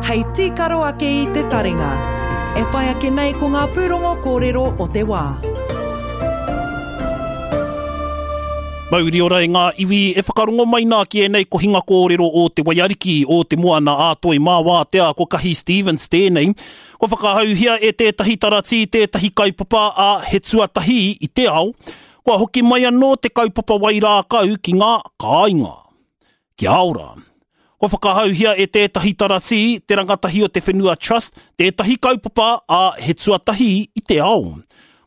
hei tīkaro ake i te taringa. E whai ake nei ko ngā pūrongo kōrero o te wā. Mauri ora e ngā iwi e whakarongo mai nā ki ēnei kohinga kōrero o Te Waiariki, o Te Moana ā Toi mā Wātea, ko Kahi Stevens tēnei. Kua whakahauhia e tētahi taratī tētahi kaupapa a He Tuatahi i te Ao, kua hoki mai anō te kaupapa wairākau ki ngā kāinga. Kia ora. Kua whakahauhia e tētahi taratī, te rangatahi o te Whenua Trust, tētahi kaupapa, ā, he tuatahi i te ao.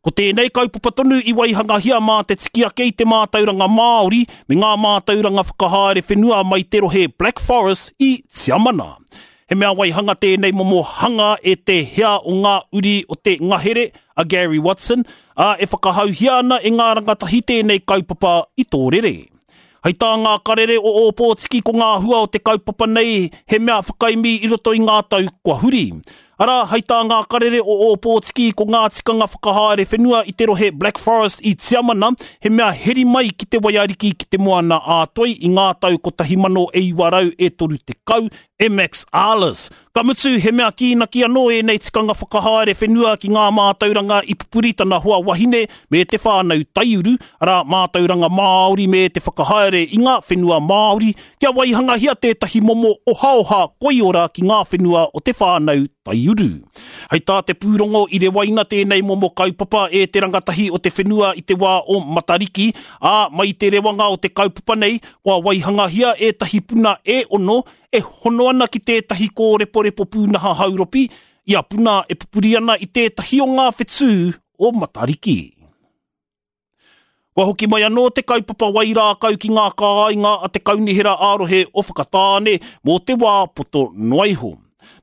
Ko tēnei kaupapa tonu i waihangahia mā te tikiake i te mātauranga Māori me ngā mātauranga whakahaere whenua mai te rohe Black Forest i Tiamana. He mea waihanga tēnei momo hanga e te hea o ngā uri o te ngahere, a Gary Watson, ā, e whakahauhia ana e ngā rangatahi tēnei kaupapa i tō rere. Hei tā ngā karere o Ōpōtiki ko ngā hua o te kaupapa nei he mea whakaemi i roto i ngā tau kua huri. Arā, hei tā ngā karere o Ōpōtiki ko ngā tikanga whakahaere whenua i te rohe Black Forest i Tiamana he mea heri mai ki te waiariki ki te Moana ā-Toi i ngā tau 1930, MX Arles. Ka mutu, he mea kīnaki anō ēnei tikanga whakahaere whenua ki ngā mātauranga i pupuri tana hoa wahine me te whānau taiuru, arā, mātauranga Māori me te whakahaere i ngā whenua Māori, kia waihangahia tētahi momo ohaoha koiora ki ngā whenua o te whānau taiuru. Hei tā te pūrongo i rewaina tēnei momo kaupapa e te rangatahi o te whenua i te wā o Matariki, ā, mai i te rewanga o te kaupapa nei, kua waihangahia ētahi puna e ono e hono ana ki tētahi kōreporepo pūnaha hauropi, ia puna e pupuri ana i tētahi o ngā whetū o Matariki. Kua hoki mai anō te kaupapa wairākau ki ngā kāinga a te Kaunihera ā-Rohe o Whakatāne mō te wā poto noa iho.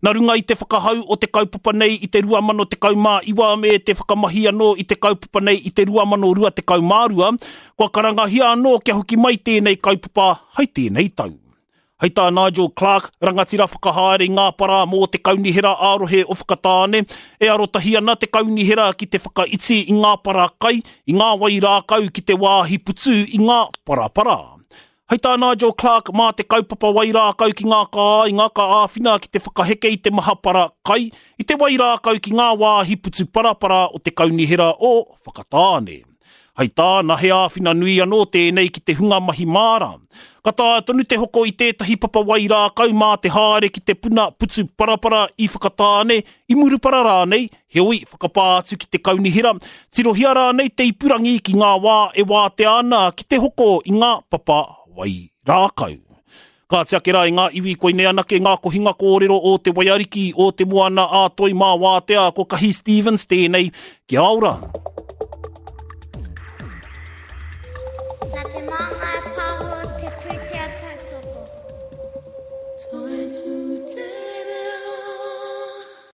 Nā runga i te whakahau o te kaupapa nei i te 2019 me te whakamahi anō i te kaupapa nei i te 2022, kua karangahia anō kia hoki mai tēnei kaupapa hai tēnei tau. Hei tā Nigel Clark, rangatira whakahaere i ngā para mō te Kaunihera ā-Rohe o Whakatāne, e arotahi ana te kaunihera ki te whakaiti i ngā para kai, i ngā wai rākau ki te wāhi putu i ngā parapara. Hei tā Nigel Clark, mā te kaupapa wai rākau ki ngā kāinga ka āwhina ki te whakaheke i te maha para kai, i te wai rākau ki ngā wāhi putu parapara o te Kaunihera o Whakatāne. Hei tāna, he āwhina nui anō tēnei ki te hunga mahi māra. Ka taea tonu te hoko i tētahi papa wai rākau mā te haere ki te puna putu parapara i Whakatāne, i Murupara rānei, heoi, whakapā atu ki te kaunihera, tirohia rānei te ipurangi ki ngā wā e wātea ana ki te hoko i ngā papa wai rākau. Kāti ake rā i ngā iwi koinei anake ngā kohinga kōrero o Te Waiariki, o Te Moana ā Toi mā Wātea, ko Kahi Stevens tēnei. Kia ora! Nā Te Māngai Pāho te pūtake.